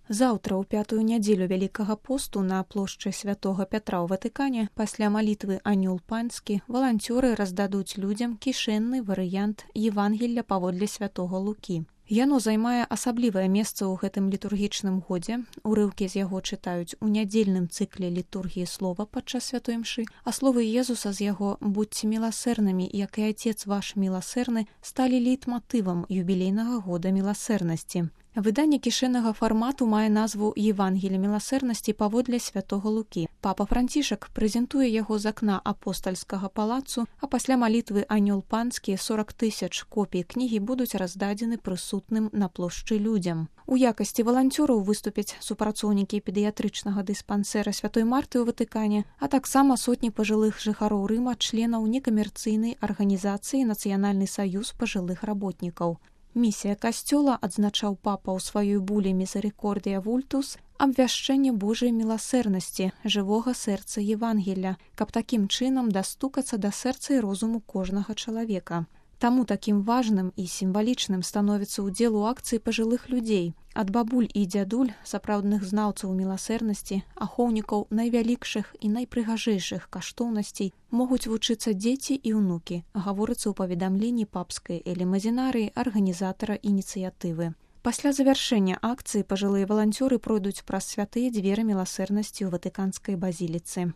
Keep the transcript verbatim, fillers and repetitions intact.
Заўтра, у пятую нядзелю Вялікага посту на плошчы Святога Пятра ў Ватыкане, пасля малітвы «Анёл панскі», валанцёры раздадуць людзям кішэнны варыянт Евангелля паводле святога Лукі. Яно займае асаблівае месца ў гэтым літургічным годзе. Урыўкі з яго чытаюць у нядзельным цыкле літургіі слова падчас святой мшы, а словы Езуса з яго «Будьце міласэрнымі, як і Отец ваш міласэрны» сталі лейтматывам юбілейнага года міласэрнасці. Выданне кішэннага фармату мае назву «Евангелие міласэрнасці паводле святога Лукі». Папа Францішак прэзентуе яго з акна апостальскага палацу, а пасля малітвы «Анёл панскі» сорок тысяч копій кнігі будуць раздадзены прысутным на плошчы людзям. У якасці валанцёраў выступяць супрацоўнікі педыятрычнага дыспансэра Святой Марты ў Ватыкане, а таксама сотні пажылых жыхароў Рыма, членаў некамерцыйнай арганізацыі «Нацыянальны саюз пажылых работнікаў». Місія касцёла, адзначаў папа ў сваёй буле «Мізерикордия вультус», абвяшчэнне Божай міласэрнасці, жывога сэрца Евангелля, каб такім чынам дастукацца да сэрца і розуму кожнага чалавека. Таму такім важным і сімвалічным становіцца ўдзел у акцыі пажылых людзей. Ад бабуль і дзядуль, сапраўдных знаўцаў міласэрнасці, ахоўнікаў найвялікшых і найпрыгажэйшых каштоўнасцей могуць вучыцца дзеці і ўнукі, гаворыцца ў паведамленні папскай элемазінарыі арганізатара ініцыятывы. Пасля завяршэння акцыі пажылыя валанцёры пройдуць праз святыя дзверы міласэрнасці ў ватыканскай базіліцы.